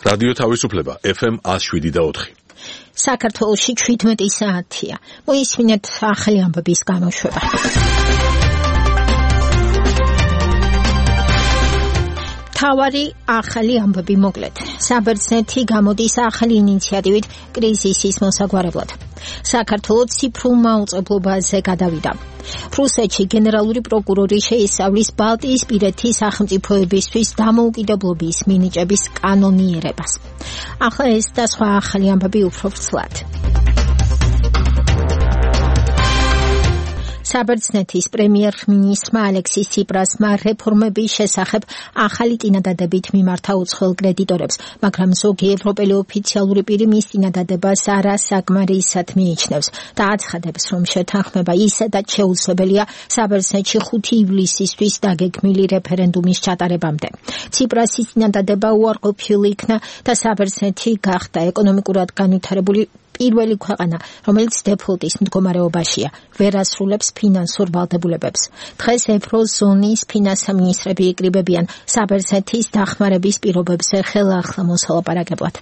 რადიო თავისუფლება FM 107.4. საქართველოში 17 საათია. მოისმინეთ ახალი ამბების გამოშვება. თავარი ახალი ამბები მოკლედ. საბერძნეთი გამოდის ახალი ინიციატივით კრიზისის მოსაგვარებლად. საქართველოს ციფრულ მაუწყებლობაზე გადავიდა. რუსეთში გენერალური პროკურორი შეისწავლის ბალტიისპირეთის სახელმწიფოებისთვის დამოუკიდებლობის მინიჭების კანონიერებას. ახლა ეს და სხვა ახალი ამბები უფრო ვრცლად. საბერძნეთის პრემიერ-მინისტრმა ალექსის ციპრასმა რეფორმების შესახებ ახალი წინადადებით მიმართა უცხოელ კრედიტორებს, მაგრამ ზოგი ევროპელი ოფიციალური პირი მის წინადადებას არასაკმარისად მიიჩნევს და აცხადებს, რომ შეთანხმება ისედაც შეუძლებელია საბერძნეთში 5 ივლისისთვის დაგეგმილი რეფერენდუმის ჩატარებამდე. ციპრასის წინადადება უარყოფილი იქნა და საბერძნეთი გახდა ეკონომიკურად განვითარებული პირველი ქვეყანა, რომელიც დეფოლტის მდგომარეობაშია, ვერ ასრულებს ფინანსურ ვალდებულებებს. დღეს ევროზონის ფინანსთა მინისტრები იკრიბებიან საბერძნეთის დახმარების პირობებზე ხელახლა მოსალაპარაკებლად.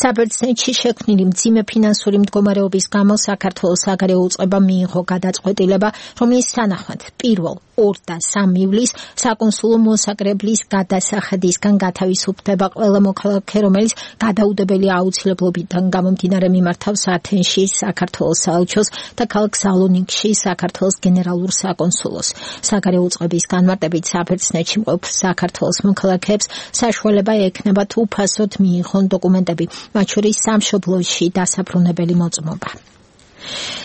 საბერძნეთში შექმნილი მძიმე ფინანსური მდგომარეობის გამო საქართველოს საგარეო უწყება მიიღო გადაწყვეტილება, რომლის თანახმად 1, 2 და 3 ივლისს საკონსულო მოსაკრებლის გადასახადისგან გათავისუფლდება ყველა მოქალაქე, რომელიც გადაუდებელი აუცილებლობიდან გამომდინარე მიმართავს ათენში საქართველოს საელჩოს და ქალაქ სალონიკში საქართველოს გენერალურ საკონსულოს. საგარეო უწყების განმარტებით საბერძნეთში მყოფ საქართველოს მოქალაქეებს საშუალება ექნებათ უფასოდ მიიღონ დოკუმენტები, მათ შორის სამშობლოში დასაბრუნებელი მოწმობა.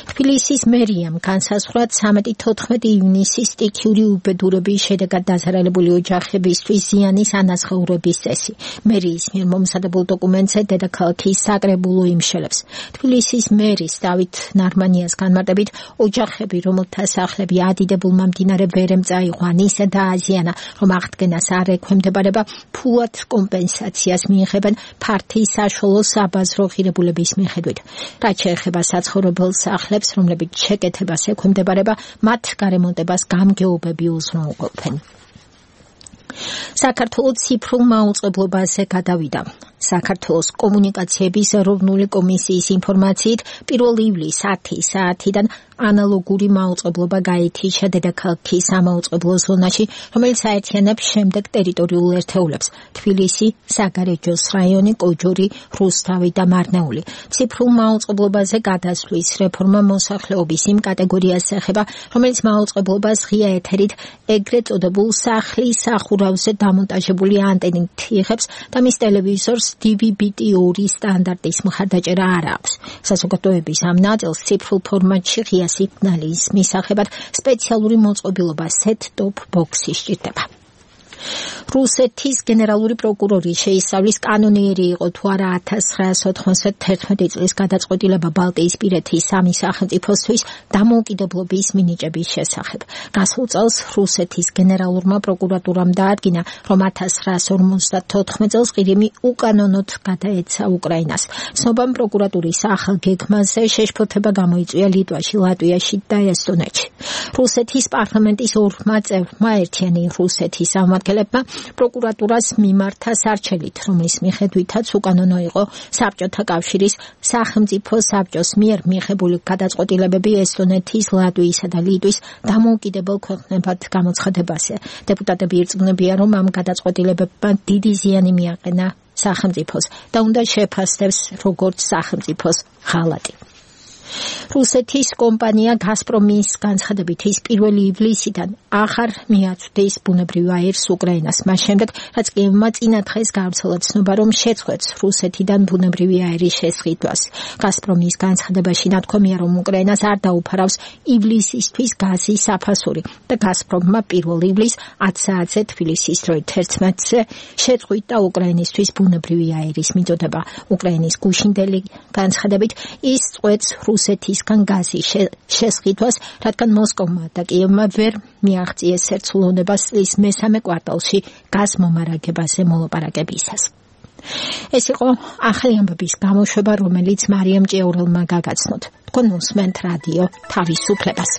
თბილისის მერიამ განსაზღვრა 13-14 ივნისის სტიქიური უბედურების შედეგად დაზარალებული ოჯახებისთვის ზიანის ანაზღაურების წესი. მერიის მიერ მომზადებულ დოკუმენტზე დედაქალაქის საკრებულო იმშელებს. თბილისის მერის დავით ნარმანიას განმარტებით, ოჯახები, რომელთა სახლები ადიდებულმა მდინარე ვერემ წაიყვან, ისე დააზიანა, რომ აღდგენას არ ექვემდებარება, ფულად კომპენსაციას მიიღებენ ფართი საშუალო საბაზრო ღირებულების მიხედვით. რაც შეეხება საცხოვრებელ სახლებს, რომლებიც შეკეთებას ექვემდებარება, მათ გარემონტებას გამგეობები უზრუნველყოფენ. საქართველოს ციფრულ მაუწყებლობაზე გადავიდა. საქართველოს კომუნიკაციების ეროვნული კომისიის ინფორმაციით 1 ივლისს 10 საათიდან ანალოგური მაუწყებლობა გაითიშა დედაქალაქის სამაუწყებლო ზონაში, რომელიც აერთიანებს შემდეგ ტერიტორიულ ერთეულებს: თბილისი, საგარეჯოს რაიონი, კოჯორი, რუსთავი და მარნეული. ციფრულ მაუწყებლობაზე გადასვლის რეფორმა მოსახლეობის იმ კატეგორიას ეხება, რომელიც მაუწყებლობას ღია ეთერით ეგრეთ წოდებულ სახლის სახურავზე დამონტაჟებული ანტენით იღებს და მის ტელევიზორს DVB-T2 სტანდარტის მხარდაჭერა არ აქვს. საზოგადოების ამ ნაწილს ციფრულ ფორმატში ღია სიგნალის მისაღებად სპეციალური მოწყობილობა set-top box-ი სჭირდება. რუსეთის გენერალური პროკურორი შეისწავლის კანონიერი იყო თუ არა 1991 წლის გადაწყვეტილება ბალტიისპირეთის 3 სახელმწიფოსთვის დამოუკიდებლობის მინიჭების შესახებ. გასულ წელს რუსეთის გენერალურმა პროკურატურამ დაადგინა, რომ 1954 წელს ყირიმი უკანონოდ გადაეცა უკრაინას. ცნობამ პროკურატურის ახალ გეგმაზე შეშფოთება გამოიწვია ლიტვაში, ლატვიაში და ესტონეთში. რუსეთის პარლამენტის 2 წევრმა ერთიანი რუსეთის სამმართველებმა პროკურატურას მიმართა სარჩელით, რომლის მიხედვითაც უკანონო იყო საბჭოთა კავშირის სახელმწიფო საბჭოს მიერ მიღებული გადაწყვეტილებები ესტონეთის, ლატვიისა და ლიტვის დამოუკიდებელ ქვეყნებად გამოცხადებაზე. დეპუტატები ირწმუნებიან, რომ ამ გადაწყვეტილებებმა დიდი ზიანი მიაყენა სახელმწიფოს და უნდა შეფასდეს როგორც სახელმწიფოს ღალატი. რუსეთის კომპანია გაზპრომის განცხადებით ის 1 ივლისიდან აღარ მიაწვდის ბუნებრივ აირს უკრაინას, მას შემდეგ, რაც კიევმა წინა დღეს გავრცელა ცნობა, რომ შეწყვეტს რუსეთიდან ბუნებრივი აირის შესყიდვას. გაზპრომის განცხადებაში ნათქვამია, რომ უკრაინას არ დაუფარავს ივლისისთვის გაზის საფასური და გაზპრომმა 1 ივლისს 10 საათზე თბილისის დროით 11-ზე შეწყვიტა უკრაინისთვის ბუნებრივი აირის მიწოდება. უკრაინის გუშინდელი განცხადებით ის წყვეტს რუსეთისგან გაზის შესყიდვას, რადგან მოსკოვმა და კიევმა ვერ მიაღწიეს ერთსულოვნებას წლის მესამე კვარტალში გაზ მომარაგებაზე მოლაპარაკებისას. ეს იყო ახალი ამბების გამოშვება, რომელიც მარიამ ჭიაურელმა გაგაცნოთ. თქვენ უსმენთ რადიო თავისუფლებას.